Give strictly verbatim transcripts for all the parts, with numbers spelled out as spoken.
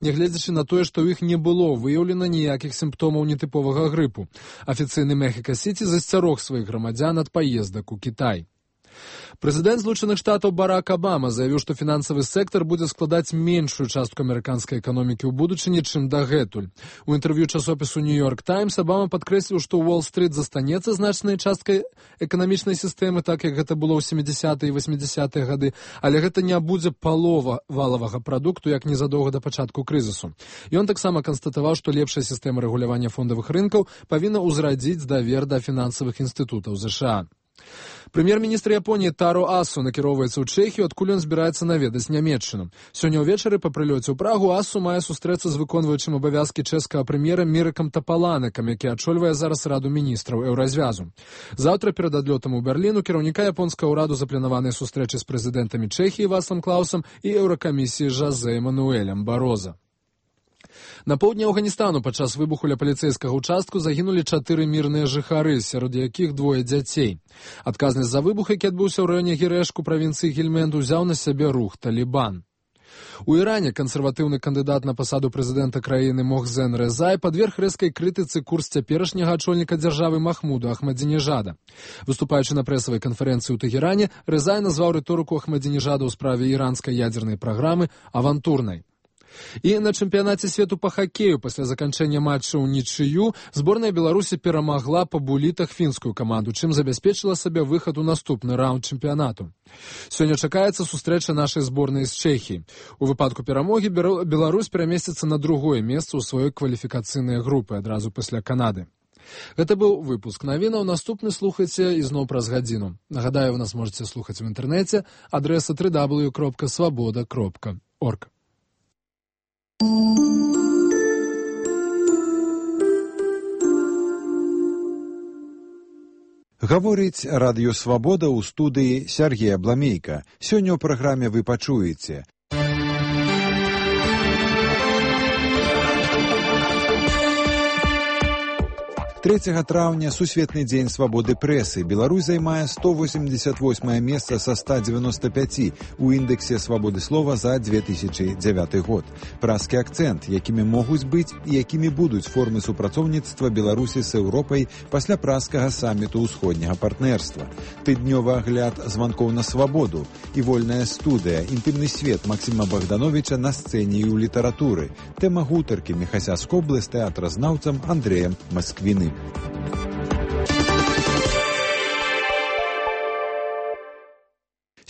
нягледзячы на тое, што ў іх не было выяўлена ніякіх сімптомаў нетыповага грыпу. Афіцыйны Мехіка-Сіці засцярог сваіх грамадзян ад паездак у Кітай. Прэзідэнт Злучаных Штатаў Барак Абама заявіў, што фінансавы сектар будзе складаць меншую частку амерыканскай эканомікі ў будучыні, чым дагэтуль. У інтэрв'ю часопісу «Нью-Йорк Таймс» Абама падкрэсліў, што Уолл-стрыт застанецца значнай часткай эканамічнай сістэмы, так як гэта было ў сямідзясятыя і васьмідзясятыя гады, але гэта не будзе палова валавага прадукту, як незадоўга да пачатку крызісу. Ён таксама канстатаваў, што лепшая сістэма рэгулявання фондавых рынкаў павінна ўзрадзіць давер да фінансавых інстытутаў ЗША. Прэм'ер-міністр Японіі Таро Асу накіроўваецца ў Чэхію, адкуль ён збіраецца наведаць Нямецчыну. Сёння ўвечары па прылёце ў Прагу Асу мае сустрэцца з выконваючым абавязкі чэшскага прэм'ера Мірыкам Тапаланекам, які ачольвае зараз Раду міністраў Еўразвязу. Заўтра перад адлётам у Берлін у кіраўніка японскага ўраду запланаваныя сустрэчы з прэзідэнтамі Чэхіі Вацлавам Клаусам і Еўракамісіі Жозе Мануэлем Бароза. На поўдні Афганістану падчас выбуху ля паліцэйскага ўчастку загінулі чатыры мірныя жыхары, сярод якіх двое дзяцей. Адказнасць за выбух, які адбыўся ў раёне Гірэшку правінцыі Гельмэнд, узяў на сябе рух Талібан. У Іране кансерватыўны кандыдат на пасаду прэзідэнта краіны Мохсен Резай падверг рэзкай крытыцы курс цяперашняга ачольніка дзяржавы Махмуду Ахмадзінежада. Выступаючы на прэсавай канферэнцыі ў Тэгеране, Резай назваў рыторыку Ахмадзінежада ў справе іранскай ядзернай праграмы авантурнай. І на чэмпіянаце свету па хакею пасля заканчэння матча ў нічыю зборная Беларусі перамагла па булітах фінскую каманду, чым забяспечыла сабе выхад у наступны раунд чэмпіянату. Сёння чакаецца сустрэча нашай зборнай з Чэхіі. У выпадку перамогі Беларусь перамесціцца на другое месца ў сваёй кваліфікацыйнай групы адразу пасля Канады. Гэта быў выпуск навінаў. Наступны слухайце ізноў праз гадзіну. Нагадаю, вы нас можаце слухаць у інтэрнэце. Адрэса дабл ю дабл ю дабл ю кропка свабода кропка орг. Гаворыць радыё «Свабода» ў студыі Сергей Абламейка. Сёння ў праграме вы пачуеце. трэцяга траўня сусветны дзень свабоды прэсы. Беларусь займае сто восемьдесят восьмае месца са ста дзевяноста пяці у індэксе свабоды слова за две тысячы дзявяты год. Праскі акцэнт, якімі могуць быць і якімі будуць формы супрацоўніцтва Беларусі з Еўропай пасля праскага саміту ўсходняга партнерства. Тыднёвы агляд званкоў на свабоду і вольная студыя, інтымны свет Максіма Богдановича на сцэне і ў літаратуры. Тэма гутаркі Міхася Скоблы з тэатразнаўцам Андрэем Масквіным.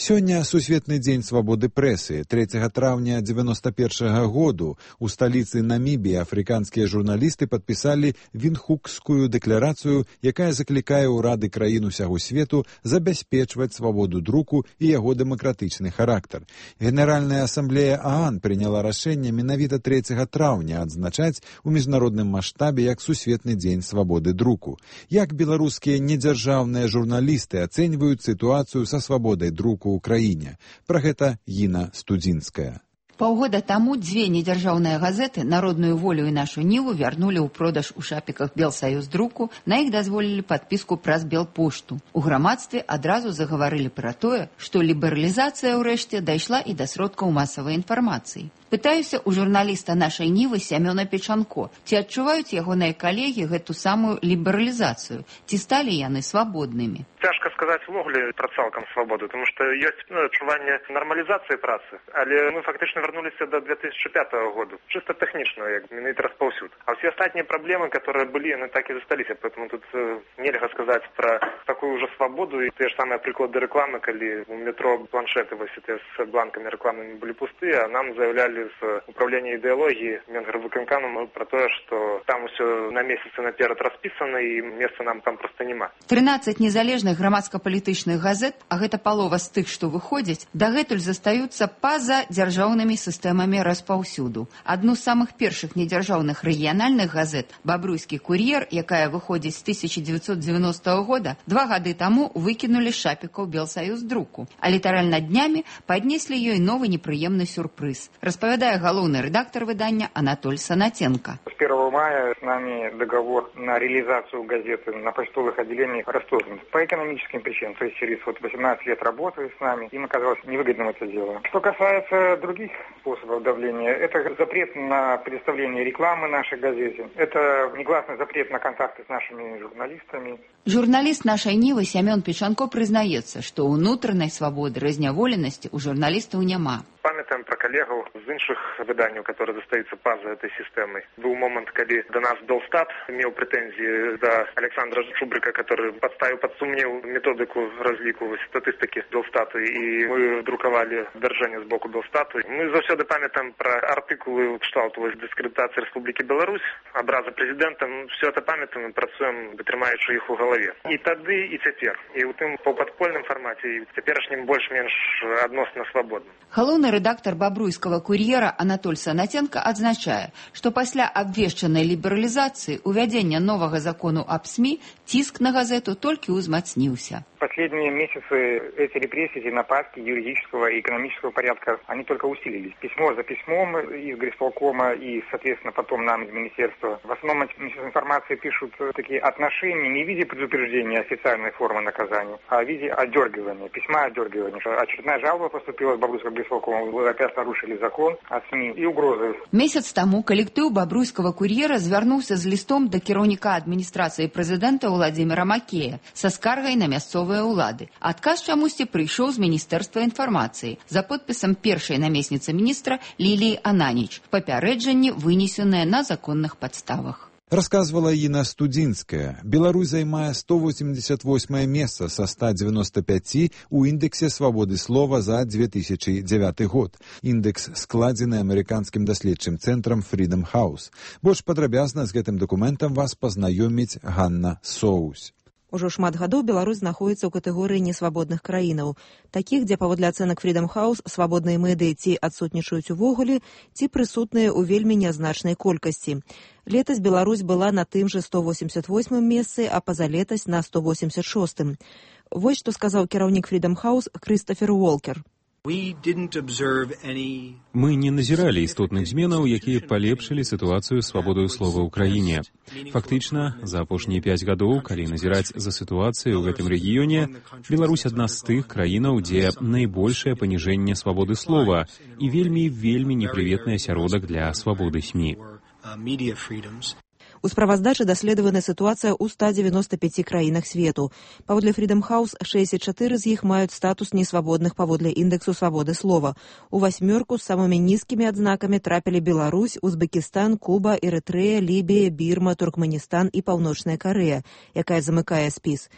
Сёння сусветны дзень свабоды прэсы. трэцяга траўня дзевяноста першага году у сталіцы Намібіі афрыканскія журналісты падпісалі Віндхукскую дэкларацыю, якая заклікае ўрады краін усяго свету забяспечваць свабоду друку і яго дэмакратычны характар. Генеральная асамблея ААН прыняла рашэнне менавіта трэцяга траўня адзначаць у міжнародным маштабе як сусветны дзень свабоды друку. Як беларускія недзяржаўныя журналісты ацэньваюць сітуацыю са свабодай друку ў краіне. Пра гэта Гіна Студзінская. Паўгода таму дзве недзяржаўныя газеты «Народную волю» і «Нашу Ніву» вярнулі ў продаж у шапіках Белсаюз друку, на іх дазволілі падпіску праз Белпошту. У грамадстве адразу загаварылі пра тое, што лібералізацыя ўрэшце дайшла і да сродкаў масавай інфармацыі. Пытаюся у журналіста «Нашай Нівы» Сямёна Печанко, ці адчуваюць ягоныя калегі гэту самую лібералізацыю, ці сталі яны свабоднымі. Цяжка сказаць увогуле пра цалкам свабоду, тому што ёсць ну, адчуванне нармалізацыі працы, але мы фактычна вярнуліся до две тысячи пятого года, чисто тэхнічна, як менавіта распаўсюд. А ўсе астатнія праблемы, которые былі, яны так і засталіся, поэтому тут э, нельга сказаць пра такую ўжо свабоду, і тыя ж самыя прыклады рэкламы, калі у метро планшеты вось эти з бланкамі рэкламнымі былі пустыя, а нам заявлялі з управління ідэалогіі Менгарвыканкамам про тое, што там усё на месяцы наперад распісана і месца нам там проста няма. трынаццаць незалежных грамадска-палітычных газет, а гэта палова з тых, што выходзяць, дагэтуль застаюцца па-за дзяржаўнымі сістэмамі распаўсюду. Адну з самых першых недзяржаўных рэгіянальных газет, «Бабруйскі кур'ер», якая выходзіць з тысяча дзевяцьсот дзевяностага года, два гады таму выкінулі з шапікаў Белсаюз друку, а літаральна днямі паднеслі ёй новы непрыемны сюрпрыз. Распавядае галоўны рэдактар выдання Анатоль Санаценко. С первого мая с нами договор на реализацию газеты на почтовых отделениях расторгнут по экономическим причинам. То есть через вот восемнадцать лет работы с нами, им оказалось невыгодным это дело. Что касается других способов давления, это запрет на предоставление рекламы нашей газете, это негласный запрет на контакты с нашими журналистами. Журналист нашай Нівы Сямён Печанко прызнаецца, што ўнутранай свабоды разняволенасці ў журналістаў няма. Памятаем про коллегу з іншых выданняў, которые застаюцца па-за этой сістэмай. Быў момант, калі до нас Белстат меў прэтэнзіі да Александра Чубрика, который подставіў пад сумнеў методыку разліку статыстыкі Белстату, і мы друкавалі дзяржэнне з боку Белстату. Мы заўсёды памятаем про артыкулы кшталту дыскрэдытацыі Рэспублікі Беларусь, абразы прэзідэнта. Все это памятаем і працуем, трымаючы іх у галаве. І тады, і цяпер. І ў тым паўпадпольным фармаце, і цяперашнім больш-менш адносна свабодным. Галоўны рэдактар бабруйскага кур'ера Анатоль Санаценко адзначае, што пасля абвешчанай лібералізацыі увядзення новага закону аб СМИ ціск на газету толькі ўзмацніўся. Последние месяцы эти репрессии, нападки юридического и экономического порядка, они только усилились. Письмо за письмом из Грисполкома и, соответственно, потом нам из министерства. В основном Министерство информации пишут такие отношения не в виде предупреждения официальной формы наказания, а в виде одергивания, письма одергивания. Очередная жалоба поступила с Бобруйского Грисполкома, вы опять нарушили закон о СМИ и угрозы. Месяц тому коллектив Бобруйского курьера звярнуўся з листом до кіраўніка адміністрацыі прэзідэнта Владимира Макея со скаргай на мясцовыя улады. Адказ чамусьці прыйшоў з Міністэрства інфармацыі за подпісам першай намесніцы міністра Ліліі Ананіч. Папярэджанне вынесенае на законных падставах. Рассказывала Інна Студзінская. Беларусь займае сто восемьдесят восьмое месца со ста девяноста пяти у індексе свабоды слова за две тысячи девятый год. Індекс складзены амерыканскім даследчым цэнтрам Freedom House. Больш падрабязна з гэтым дакументам вас пазнаёміць Ганна Соусь. Ужо шмат гадоў Беларусь знаходзіцца ў катэгорыі несвабодных краінаў, такіх, дзе паводле ацэнак Freedom House свабодныя медыі ці адсутнічаюць увогуле, ці прысутныя ў вельмі нязначнай колькасці. Летась Беларусь была на тым жа сто восемьдесят восьмым месцы, а пазалетась на сто восемьдесят шостым. Вось што сказаў кіраўнік Freedom House Крыстафер Уолкер. Мы не назіралі істотных зменаў, якія палепшылі сітуацыю свабодою слова ў краіне. Фактычна, за апошнія пяць гадоў, калі назіраць за сітуацыяй у гэтым рэгіёне, Беларусь адна з тых краінаў, дзе найбольшае паніжэнне свабоды слова і вельмі-вельмі непрыветны асяродак для свабоды СМИ. У справаздачы даследавана сітуацыя ў ста девяноста пяти краінах свету. Паводле Freedom House шэсцьдзесят чатыры з іх маюць статус несвабодных паводле індексу свабоды слова. У васьмёрку з самымі нізкімі адзнакамі трапілі Беларусь, Узбекістан, Куба, Эрытрэя, Лібія, Бірма, Туркменістан і Паўночная Карэя, якая замыкае спіс.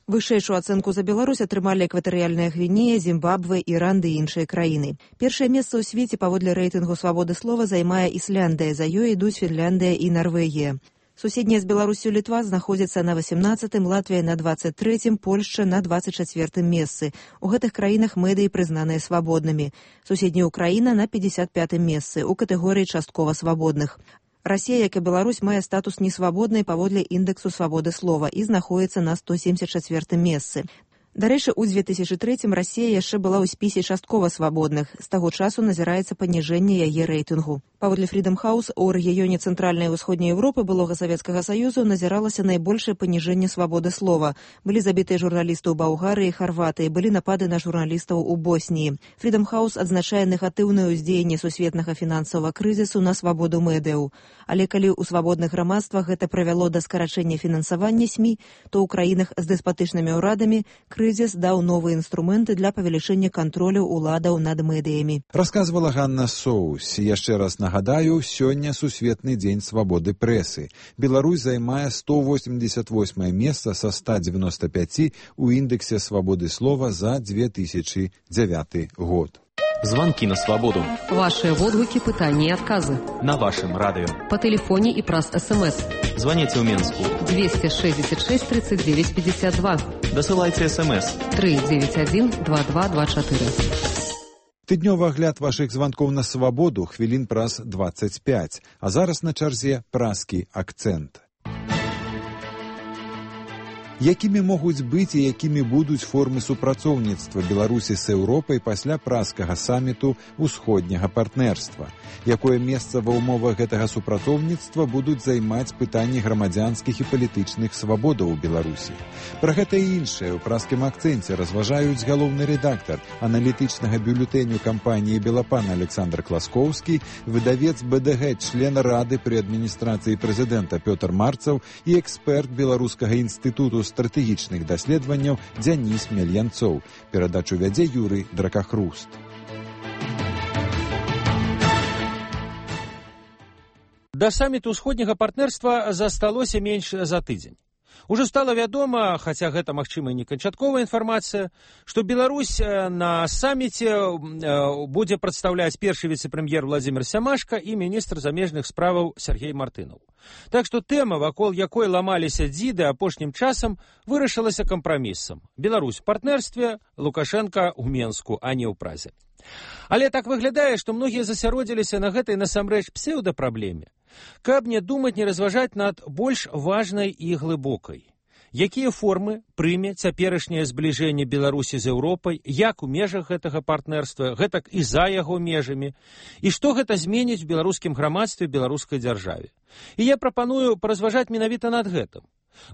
Вышэйшую ацэнку за Беларусь атрымалі экватарыяльная Гвінея, Зімбабве, Іран ды іншыя краіны. Першае месца ў свеце паводле рэйтынгу свабоды слова займае Ісляндыя, за ёй ідуць Фінляндыя і Нарвегія. Суседняя з Беларусю Літва знаходзіцца на восемнадцатым, Латвія на двадцать третьем, Польшча на двадцать четвертым месцы. У гэтых краінах медыі прызнаныя свабоднымі. Суседняя Украіна на пятьдесят пятым месцы у катэгорыі часткова свабодных. Расія, як і Беларусь, мае статус несвабоднай паводле індексу свабоды слова і знаходзіцца на сто семьдесят четвертым месцы. Дарэчы, у две тысячи третьем Расія яшчэ была ў спісе часткова свабодных. З таго часу назіраецца паніжэнне яе рэйтынгу. Паводле Freedom House у рэгіёне Цэнтральнай і Ўсходняй Еўропы былога Савецкага Саюзу назіралася найбольшае паніжэнне свабоды слова. Былі забітыя журналісты ў Балгарыі і Харватыі, былі напады на журналістаў у Босніі. Freedom House адзначае негатыўнае ўздзеянне сусветнага фінансавага крызісу на свабоду медыяў. Але калі ў свабодных грамадствах гэта прывяло да скарачэння фінансавання СМИ, то ў краінах з дэспатычнымі ўрадамі крызіс даў новыя інструменты для павелічэння кантролю уладаў над медыямі. Расказвала Ганна Соусь. Яшчэ раз нагадаю, сёння сусветны дзень свабоды прэсы. Беларусь займае сто восемьдесят восьмое месца са ста девяноста пяти у індексе свабоды слова за две тысячи девятый год. Звонки на свободу. Ваши отгуки, пытания и отказы. На вашем радио. По телефоне и праз СМС. Звоните в Минску. двести шестьдесят шесть тридцать девять пятьдесят два. Досылайте СМС. три девять один два два два четыре. Тыднёвы агляд вашых званкоў на свабоду хвілін праз двадцать пять. А зараз на чарзе празкі акцэнт. Якімі могуць быць і якімі будуць формы супрацоўніцтва Беларусі з Еўропай пасля праскага саміту ўсходняга партнерства? Якое месца ва ўмовах гэтага супрацоўніцтва будуць займаць пытанні грамадзянскіх і палітычных свабодаў у Беларусі? Пра гэта і іншае ў праскім акцэнце разважаюць галоўны рэдактар аналітычнага бюлетэню кампаніі «Белапан» Александр Класкоўскі, выдавец бэ дэ гэ, член Рады пры адміністрацыі прэзідэнта Пётр Марцаў і эксперт Беларускага інстытуту стратэгічных даследаванняў Дзяніс Мельянцоў. Перадачу вядзе Юрый Дракахруст. Да саміту ўсходняга партнерства засталося менш за тыдзень. Ужо стала вядома, хаця гэта, магчыма, не канчатковая інфармацыя, што Беларусь на саміце будзе прадстаўляць першы віцэ-прэм'ер Владзімир Сямашка і міністр замежных справаў Сергей Мартынаў. Так што тэма, вакол якой ламаліся дзіды апошнім часам, вырашылася кампрамісам. Беларусь у партнерстве, Лукашенка ў Менску, а не ў Празе. Але так выглядае, што многія засяродзіліся на гэтай насамрэч псеўдапраблеме, каб не думаць, не разважаць над больш важнай і глыбокай. Якія формы прыме цяперашняе збліжэнне Беларусі з Еўропай, як у межах гэтага партнерства, гэтак і за яго межамі, і што гэта зменіць у беларускім грамадстве, беларускай дзяржаве. І я прапаную паразважаць менавіта над гэтым.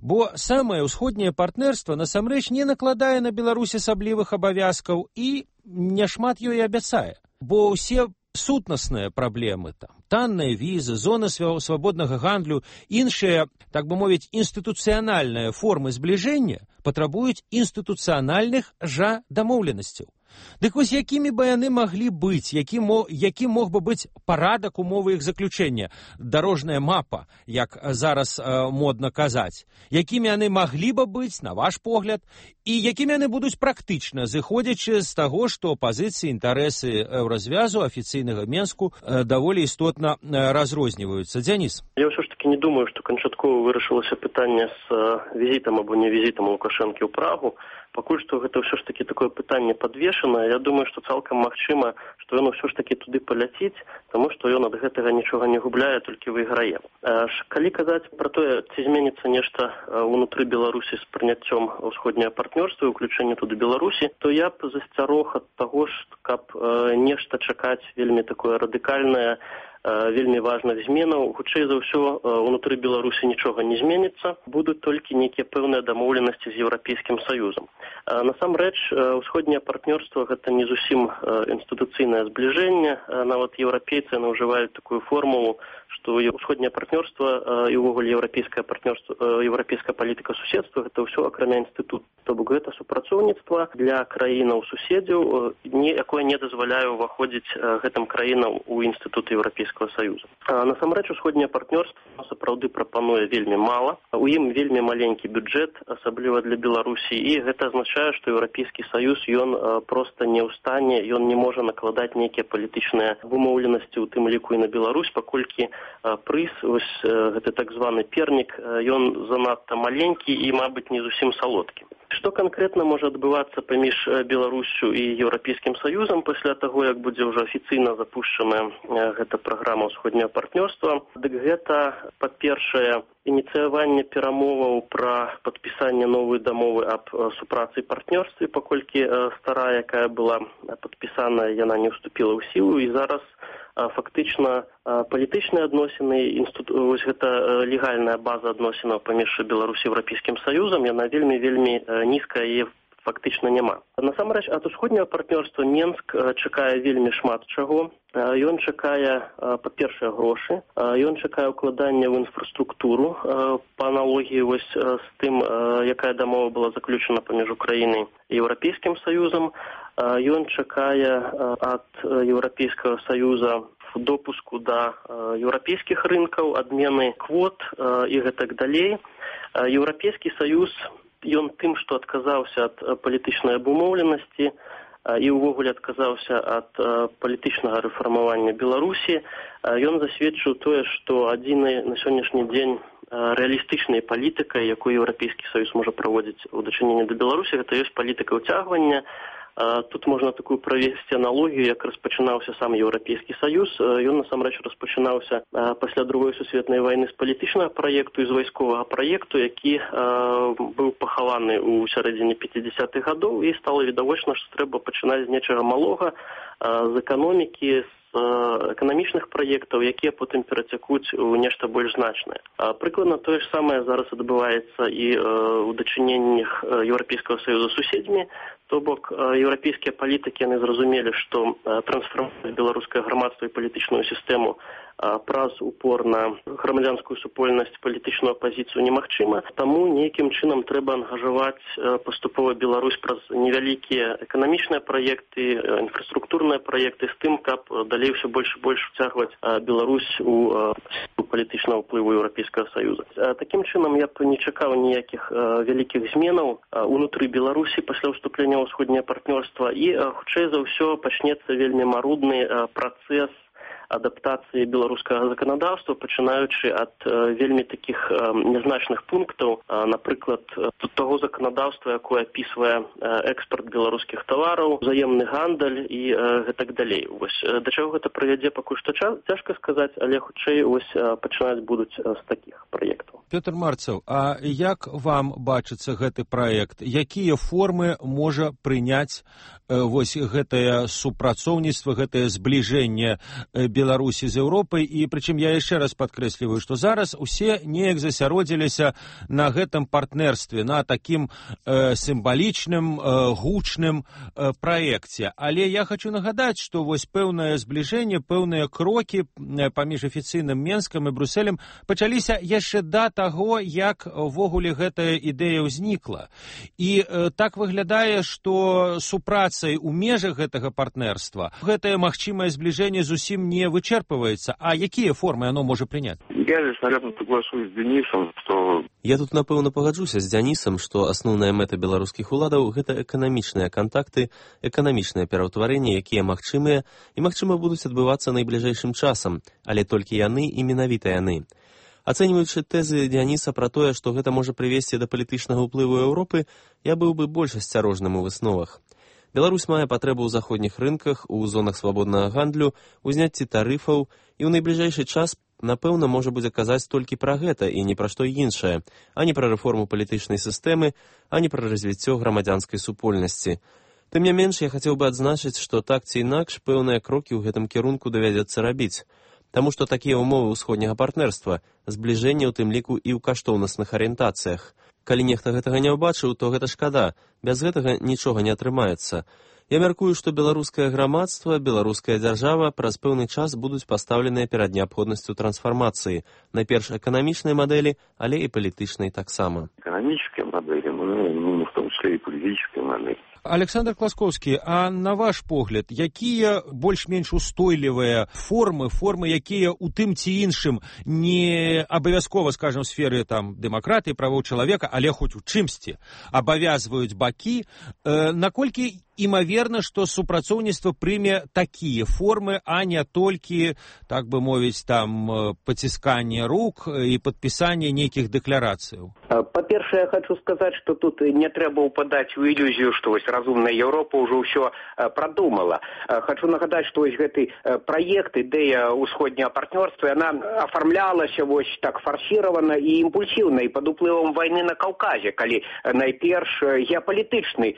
Бо самае ўсходняе партнерства насамрэч не накладае на Беларусь асаблівых абавязкаў і няшмат ёй абяцае. Бо ўсе сутнасныя праблемы, там, танныя візы, зоны свабоднага гандлю, іншыя, так бы мовіць, інстытуцыянальныя формы збліжэння патрабуюць інстытуцыянальных жа дамоўленасцяў. Дык вось якімі бы яны маглі быць, які, мо, які мог бы быць парадак умовы іх заключэння, дарожная мапа, як зараз э, модна казаць, якімі яны маглі бы быць, на ваш погляд, і якімі яны будуць практычна, зыходзячы з таго, што пазіцыі, інтарэсы еўразвязу афіцыйнага Менску э, даволі істотна э, разрозніваюцца. Дзяніс. Я ўсё ж таки не думаю, што канчаткова вырашылася пытанне з э, візітам або не візітам Лукашэнкі ў Прагу. Пакуль што гэта ўсё ж таки такое пытанне падвешана. Я думаю, што цалкам магчыма, што ён ўсё ж таки туды паляціць, таму што ён ад гэтага нічога не губляе, толькі выйграе. Калі казаць пра тое, ці зменіцца нешта ўнутры Беларусі з прыняццём ўсходняга партнёрства і ўключэння туды Беларусі, то я б засцярог ад таго, каб нешта чакаць вельмі такое радыкальнае, вельмі важных зменаў. Хутчэй за ўсё, унутры Беларусі нічога не зменіцца, будуць толькі нейкія пэўныя дамоўленасці з Еўрапейскім Саюзам. Насамрэч, усходняе партнёрства гэта не зусім інстытуцыйнае збліжэнне, нават еўрапейцы ўжываюць такую формулу, што усходняе партнёрства і ўвогуле еўрапейскае партнёрства, еўрапейская палітыка суседства гэта ўсё акрамя інстытут. То бок гэта супрацоўніцтва для краінаў суседзяў, якое не дазваляе ўваходзіць гэтым краінам у інстытут Еўрапейскага Саюза. Насамрэч, усходняе партнёрства сапраўды прапануе вельмі мала. У ім вельмі маленькі бюджэт, асабліва для Беларусі, і гэта азначае, што Еўрапейскі Саюз ён проста не ў стане, ён не можа накладаць нейкія палітычныя вымоўленасці, у тым ліку і на Беларусь, паколькі прыз, вось гэты так званы пернік, ён занадта маленькі і, мабыць, не зусім салодкі. Што канкрэтна можа адбывацца паміж Беларуссю і Еўрапейскім Саюзам пасля таго, як будзе ўжо афіцыйна запушчаная гэта праграма ўсходняга партнёрства? Дык гэта, па-першае, ініцыяванне перамоваў пра падпісанне новай дамовы аб супрацы і партнёрстве, паколькі старая, якая была падпісаная, яна не ўступіла ў сілу, і зараз фактычна палітычныя адносіны, вось гэта легальная база адносінаў паміж Беларусі і Еўрапейскім Саюзам, яна вельмі-вельмі нізкая і фактычна няма. Насамрэч, ад усходняга партнёрства Менск чакае вельмі шмат чаго. Ён чакае, па-першае, грошы, ён чакае ўкладання ў інфраструктуру, па аналогіі вось з тым, якая дамова была заключана паміж Украінай і Еўрапейскім Саюзам. Ён чакае ад Еўрапейскага Саюза допуску да еўрапейскіх рынкаў, адмены квот і гэтак далей. Еўрапейскі Саюз, ён тым, што адказаўся ад палітычнай абумоўленасці і ўвогуле адказаўся ад палітычнага рэфармавання Беларусі, ён засведчыў тое, што адзінай на сённяшні дзень рэалістычнай палітыкай, якую Еўрапейскі Саюз можа праводзіць у дачыненні да Беларусі, гэта ёсць палітыка ўцягвання, Тут можна такую правесці аналогію, як распачынаўся сам Еўрапейскі Саюз. Ён насамрэч распачынаўся пасля другой сусветнай вайны з палітычнага праекту і з вайсковага праекту, які быў пахаваны ў сярэдзіне пяцідзясятых гадоў, і стала відавочна, што трэба пачынаць з нечага малога, з эканомікі, эканамічных праектаў, якія потым перацякуць у нешта больш значнае. Прыкладна тое ж самае зараз адбываецца і ў дачыненнях Еўрапейскага Саюза з суседзямі, то бок еўрапейскія палітыкі яны зразумелі, што трансфармаваць беларускае грамадства і палітычную сістэму праз упор на грамадзянскую супольнасць, палітычную апазіцыю немагчыма, таму нейкім чынам трэба ангажаваць паступова Беларусь праз невялікія эканамічныя праекты, інфраструктурныя праекты з тым, каб далей ўсё больш і больш уцягваць Беларусь у палітычнага ўплыву Еўрапейскага Саюза. Такім чынам я б не чакаў ніякіх вялікіх зменаў унутры Беларусі пасля ўступлення ў ўсходняе партнёрства, і хутчэй за ўсё пачнецца вельмі марудны працэс адаптацыі беларускага заканадаўства, пачынаючы ад э, вельмі такіх э, нязначных пунктаў, э, напрыклад, таго заканадаўства, якое апісвае э, экспарт беларускіх тавараў, узаемны гандаль і э, гэтак далей. Вось, э, да чаго гэта прывядзе, пакуль што цяжка сказаць, але хутчэй вось э, пачынаць будуць э, з такіх праектаў. Пётр Марцаў, а як вам бачыцца гэты праект? Якія формы можа прыняць э, вось гэтае супрацоўніцтва, гэтае збліжэнне э, Беларусі з Еўропай, і прычым я яшчэ раз падкрэсліваю, што зараз усе неяк засяродзіліся на гэтым партнерстве, на такім э, сімвалічным, э, гучным э, праекце. Але я хочу нагадаць, што вось пэўнае збліжэнне, пэўныя крокі э, паміж афіцыйным Менскам і Брусселем пачаліся яшчэ да таго, як увогуле гэтая ідэя ўзнікла. І э, так выглядае, што супрацай у межах гэтага партнерства гэтае магчымае збліжэнне зусім не вычерпывается. А какие формы оно может принять? Я здесь, наверное, соглашусь с Денисом, что... Я тут, напэўна, пагаджуся з Дзянісам, што асноўная мэта беларускіх уладаў – гэта эканамічныя кантакты, эканамічнае пераўтварэнне, якія магчымыя і, магчыма, будуць адбывацца найбліжэйшым часам, але толькі яны і менавіта яны. Ацэньваючы тэзы Дзяніса пра тое, што гэта можа прывесці да палітычнага ўплыву Еўропы, я быў бы больш асцярожным у высновах. Беларусь мае патрэбу ў заходніх рынках, у зонах свабоднага гандлю, у зняцці тарыфаў, і ў найбліжэйшы час, напэўна, можа будзе казаць толькі пра гэта і не пра што іншае, а не пра рэформу палітычнай сістэмы, а не пра развіццё грамадзянскай супольнасці. Тым не менш, я хацеў бы адзначыць, што так ці інакш пэўныя крокі ў гэтым кірунку давядзецца рабіць. Таму што такія ўмовы ўсходняга партнерства, збліжэнне ў тым ліку і ў каштоўнасных арыентацыях. Калі нехта гэтага не ўбачыў, то гэта шкада. Без гэтага нічога не атрымаецца. Я мяркую, што беларускае грамадства, беларуская дзяржава праз пэўны час будуць пастаўленыя перад неабходнасцю трансфармацыі. Найперш эканамічнай мадэлі, але і палітычнай таксама. Эканамічныя мадэлі, ну, в том числе і палітычныя мадэлі. Александр Класкоўскі, а на ваш погляд, якія больш-менш устойлівыя формы, формы, якія у тым ці іншым не абавязкова, скажем, в сферы там дэмакратыі, правоў чалавека, але хоць у чымсьці абавязваюць бакі, э, наколькі імаверна, што супрацоўніцтва прыме такія формы, а не толькі, так бы мовіць, там пацісканне рук і падпісанне нейкіх дэкларацыяў? Па-першае, я хочу сказаць, што тут не трэба ўпадаць у ілюзію, што вось разумная Еўропа ўжо ўсё прадумала. Хочу нагадаць, што вось гэты праект, ідэя ўсходняга партнёрства, яна афармлялася вось так фарсіравана і імпульсіўна, і пад уплывам вайны на Каўказе, калі найперш геапалітычны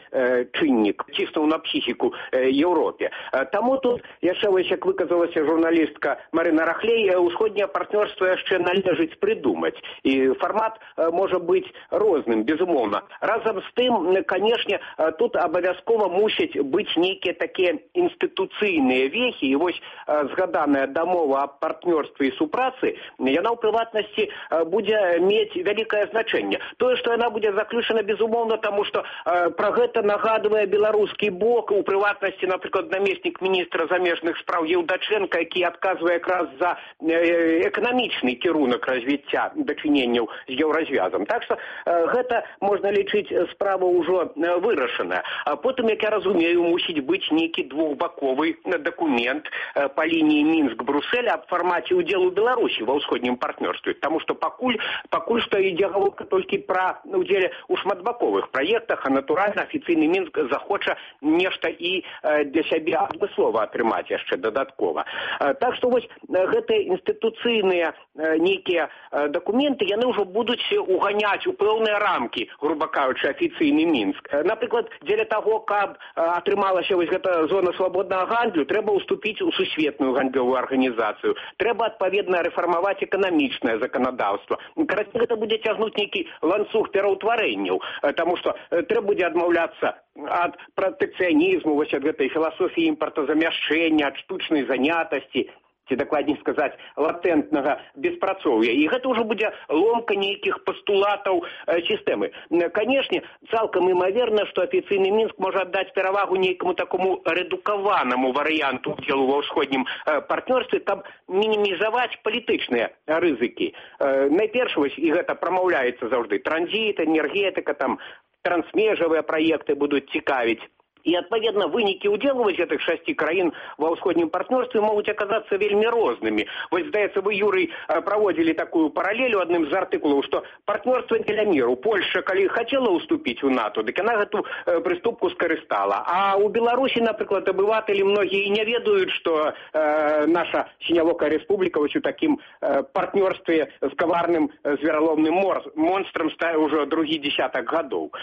чыннік ціснуў на псіхіку Еўропе. Таму тут яшчэ вось, як выказалася журналістка Марына Рахлей, ўсходняе партнёрства яшчэ належыць прыдумаць. І фармат можа быць розным, безумоўна. Разам з тым, канешне, тут абавязкова мусяць быць нейкія такія інстытуцыйныя вехі, і вось згаданая дамова аб партнёрстве і супрацы, яна ў прыватнасці будзе мець вялікае значэнне. Тое, што яна будзе заключана, безумоўна, таму што пра гэта нагадвае беларускі бок, у прыватнасці, напрыклад, намеснік міністра замежных спраў Еўдачэнка, які адказвае якраз за эканамічны кірунак развіцця дачыненняў з еўразвязам. Так што гэта, можна лічыць, справа ўжо вырашаная. А потым, як я разумею, мусіць быць нейкі двухбаковы дакумент па лініі Мінск-Брюссель аб фармаце ўдзелу Беларусі ва ўсходнім партнёрстве, таму што пакуль пакуль што ідзе гаворка толькі пра ўдзеле ў шматбаковых праектах, а натуральна афіцыйны Мінск захоча нешта і для сябе адмыслова атрымаць яшчэ дадаткова. Так што вось гэтыя інстытуцыйныя нейкія дакументы, яны ўжо будуць уганяць у пэўныя рамкі, груба кажучы, афіцыйны Мінск. Напрыклад, дзеля таго, каб атрымалася вось гэта зона свабоднага гандлю, трэба ўступіць у сусветную гандлёвую арганізацыю. Трэба адпаведна рэфармаваць эканамічнае заканадаўства. Карацей, гэта будзе цягнуць нейкі ланцуг пераўтварэнняў, таму што трэба будзе адмаўляцца ад пратэкцыянізму, вось ад гэтай філасофіі імпартазамяшчэння, ад штучнай занятасці, ці дакладней сказаць, латэнтнага беспрацоўя. І гэта ўжо будзе ломка нейкіх пастулатаў э, сістэмы. Канешне, цалкам імаверна, што афіцыйны Мінск можа аддаць перавагу нейкаму такому рэдукаванаму варыянту ўдзелу ва ўсходнім э, партнёрстве, каб мінімізаваць палітычныя рызыкі. Э, найперш, вось, і гэта прамаўляецца заўжды, транзіт, энергетыка, там, трансмежавыя праекты будуць цікавіць. І, адпаведна, вынікі ўдзелу вось гэтых шасці краін ва ўсходнім партнёрстве могуць аказацца вельмі рознымі. Вось, здаецца, вы, Юрый, праводзілі такую паралелю адным з артыкулаў, што партнёрства дзеля міру. Польша, калі хацела ўступіць у НАТО, дык яна гэту прыступку скарыстала. А ў Беларусі, напрыклад, абыватэлі многія і не ведаюць, што э, наша сінявокая рэспубліка вось у такім э, партнёрстве з каварным звераломным монстрам стае ўжо другі дзесятак гадоў.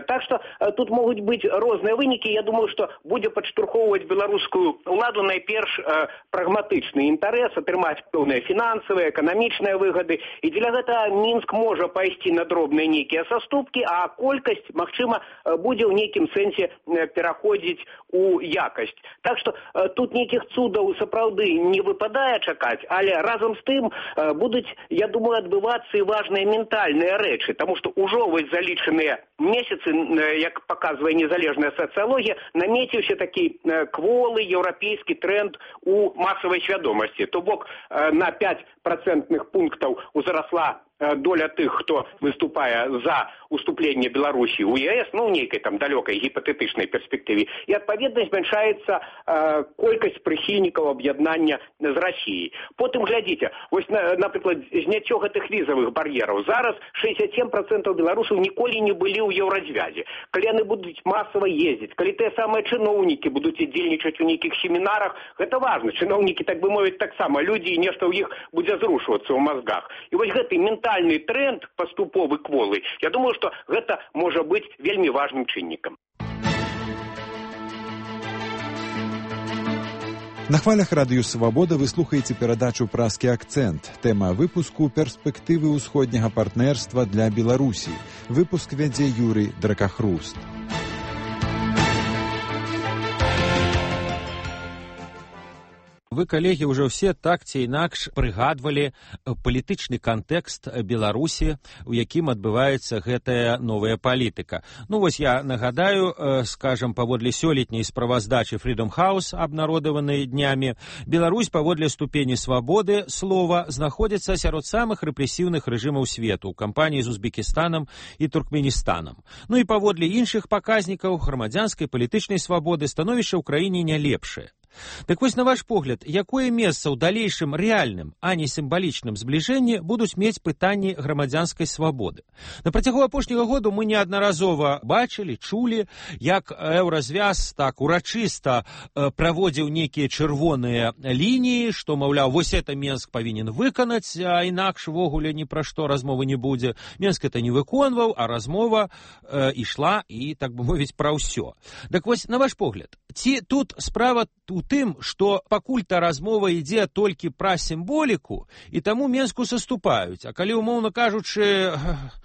Так што э, тут могуць быць розныя вынікі. Я думаю, што будзе падштурхоўваць беларускую ўладу найперш э, прагматычны інтарэс, атрымаць пэўныя фінансавыя, эканамічныя выгады. І дзеля гэтага Мінск можа пайсці на дробныя нейкія саступкі, а колькасць, магчыма, будзе ў нейкім сэнсе пераходзіць у якасць. Так што э, тут нейкіх цудаў сапраўды не выпадае чакаць, але разам з тым э, будуць, я думаю, адбывацца і важныя ментальныя рэчы, таму што ўжо вось залічаныя месяцы, э, як паказвае незалежная сацыялогія, намеціўся такі кволы еўрапейскі тренд у масавай свядомасці. То бок на пяць працэнтных пунктаў узрасла доля тых, хто выступае за уступленне Беларусі ў ЕС, ну, ў нейкай там далёкай гіпатэтычнай перспектыве, і, адпаведна, змяншаецца э, колькасць прыхільнікаў аб'яднання з Расіяй. Потым, глядзіце, вось, на, напрыклад, зняццё гэтых візавых бар'ераў. Зараз шэсцьдзесят сем працэнтаў беларусаў ніколі не былі ў еўразвязе. Калі яны будуць масава ездзіць, калі тыя самыя чыноўнікі будуць удзельнічаць у нейкіх семінарах, гэта важна. Чыноўнікі, так бы мовіць, таксама людзі, і нешта ў іх будзе зрушвацца ў мазгах. І вось гэты ментальны тренд паступовы кволы, я думаю, што гэта можа быць вельмі важным чыннікам. На хвалях радыё «Свабода» вы слухаеце перадачу «Празкі акцэнт». Тэма выпуску «Перспектывы ўсходняга партнерства для Беларусі». Выпуск вядзе Юрый Дракахруст. Вы, калегі, ўжо ўсе так ці інакш прыгадвалі палітычны кантэкст Беларусі, у якім адбываецца гэтая новая палітыка. Ну, вось я нагадаю, скажам, паводле сёлетняй справаздачы Freedom House, абнародаванай днямі, Беларусь паводле ступені свабоды слова знаходзіцца сярод самых рэпрэсіўных рэжымаў свету, у кампаніі з Узбекістанам і Туркменістанам. Ну і паводле іншых паказнікаў грамадзянскай палітычнай свабоды становішча ў краіне не лепшае. Так вось, на ваш погляд, якое месца ў далейшым рэальным, а не сімвалічным збліжэнні будуць мець пытанні грамадзянскай свабоды? На працягу апошняга году мы неаднаразова бачылі, чулі, як еўразвяз так урачыста э, праводзіў нейкія чырвоныя лініі, што, маўляў, вось это Менск павінен выканаць, а інакш вогуле ні пра што размовы не будзе. Менск это не выконваў, а размова э, ішла і, так бы мовіць, пра ўсё. Так вось, на ваш погляд, ці тут справа у тым, што пакуль-то размова ідзе толькі пра сімволіку, і таму Менску саступаюць. А калі, умоўна кажучы,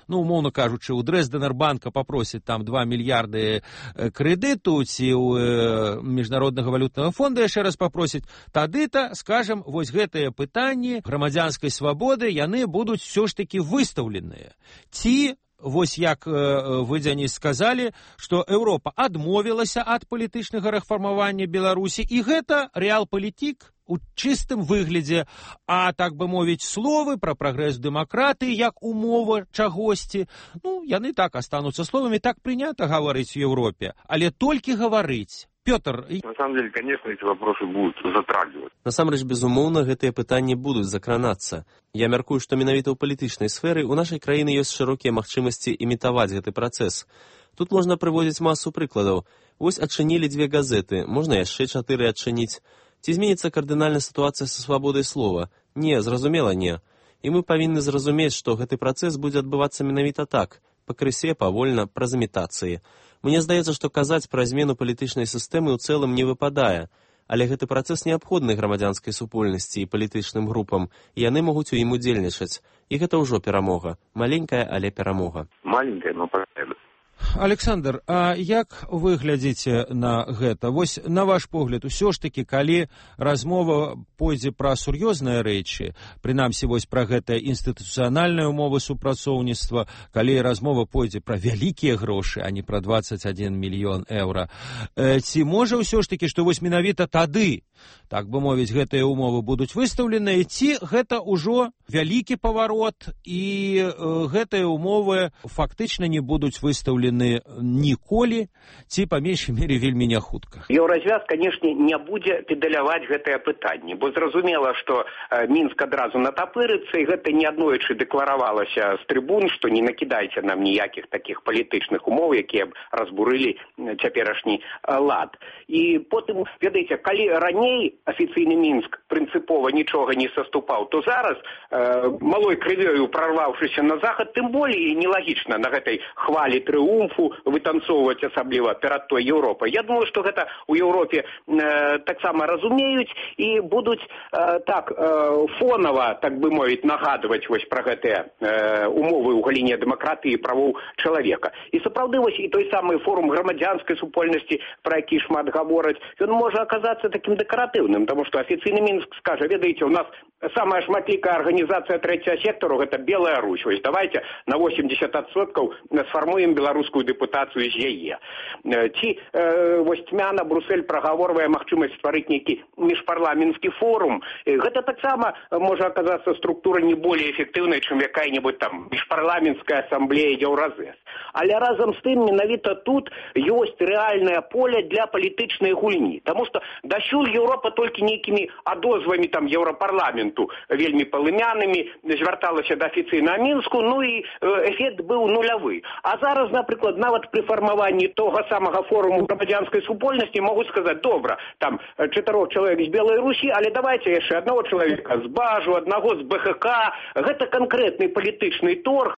ну, умоўна кажучы, у Дрэздэнербанка папросяць там два мільярды крэдыту, ці ў Міжнароднага валютнага фонда яшчэ раз папросяць, тады-то, скажам, вось гэтыя пытанні грамадзянскай свабоды, яны будуць все ж такі выстаўленыя. Ці вось як вы, Дзяніс, сказалі, што Еўропа адмовілася ад палітычнага рэфармавання Беларусі, і гэта рэал-палітік? у чыстым выглядзе, а, так бы мовіць, словы пра прагрэс дэмакратыі як умова чагосьці, ну, яны так астануцца словамі, так прынята гаварыць у Еўропе, але толькі гаварыць. Пётр... На самом деле, конечно, эти вопросы будут затрагивать. Насамрэч, безумоўна, гэтыя пытанні будуць закранацца. Я мяркую, што менавіта ў палітычнай сферы ў нашай краіны ёсць шырокія магчымасці імітаваць гэты працэс. Тут можна прыводзіць масу прыкладаў. Вось адчынілі дзве газеты, можна яшчэ чатыры адчыніць. Ці зменіцца кардынальна сітуацыя са свабодай слова? Не, зразумела, не. І мы павінны зразумець, што гэты працэс будзе адбывацца менавіта так, пакрысе, павольна, праз імітацыі. Мне здаецца, што казаць пра змену палітычнай сістэмы ў цэлым не выпадае, але гэты працэс неабходны грамадзянскай супольнасці і палітычным групам, і яны могуць у ім удзельнічаць. І гэта ўжо перамога. Маленькая, але перамога. Маленькая, но победа. Александр, а як вы глядзіце на гэта? Вось, на ваш погляд, усё ж такі, калі размова пойдзе пра сур'ёзныя рэчы, прынамсі, вось пра гэтыя інстытуцыянальныя ўмовы супрацоўніцтва, калі размова пойдзе пра вялікія грошы, а не пра дваццаць адзін мільён еўра, э, ці можа ўсё ж такі, што вось менавіта тады, так бы мовіць, гэтыя ўмовы будуць выстаўленыя, ці гэта ўжо вялікі паварот, і э, гэтыя ўмовы фактычна не будуць выстаўлены ніколі, ці па меншай мере вельмі не хутка. Еўразвяз, канешне, не будзе педаляваць гэтае пытанне, бо зразумела, што э, Мінск адразу натапырыцца, і гэта неаднойчы дэкларавалася з трыбун, што не накідайце нам ніякіх такіх палітычных умоў, якія б разбурылі цяперашні э, лад. І потым, ведаеце, калі раней афіцыйны Мінск прынцыпова нічога не саступаў, то зараз, э, малой крывёю прарваўшыся на захад, тым болей нелагічна на гэтай хвалі трыумфу вытанцоўваць асабліва перад той Еўропай. Я думаю, што гэта ў Еўропе э, таксама разумеюць і будуць э, так э, фонава, так бы мовіць, нагадваць вось пра гэтыя э, умовы ў галіне дэмакратыі і правоў чалавека. І сапраўды вось і той самы форум грамадзянскай супольнасці, пра які шмат гавораць, ён можа аказацца такім дэкаратыўным, таму што афіцыйны Мінск скажа, ведаеце, у нас самая шматлікая арганізацыя трэцяга сектару гэта Белая Русь. Вось давайте на восемьдесят адсоткаў сфармуем беларускую дэпутацыю з яе. Ці э, вось цьмяна Брюссель прагаворвае магчымасць стварыць нейкі міжпарламенtsкі форум. Гэта таксама можа аказацца структура не более эфектыўнай, чым якая-небудзь там міжпарламенцкая асамблея Еўразэс. Але разам з тым менавіта тут ёсць рэальнае поле для палітычнай гульні. Таму што дасюль Еўропа толькі нейкімі адозвамі там Еўрапарламенту вельмі палымянымі звярталася да афіцыйнага Мінску, ну і эфект быў нулявы. А зараз, напрыклад, нават пры фармаванні того самага форуму грамадзянскай супольнасці могуць сказаць, добра, там чатырох чалавек з Белай Русі, але давайте яшчэ аднаго чалавека з Бажу, аднаго з БХК. Гэта канкрэтны палітычны торг,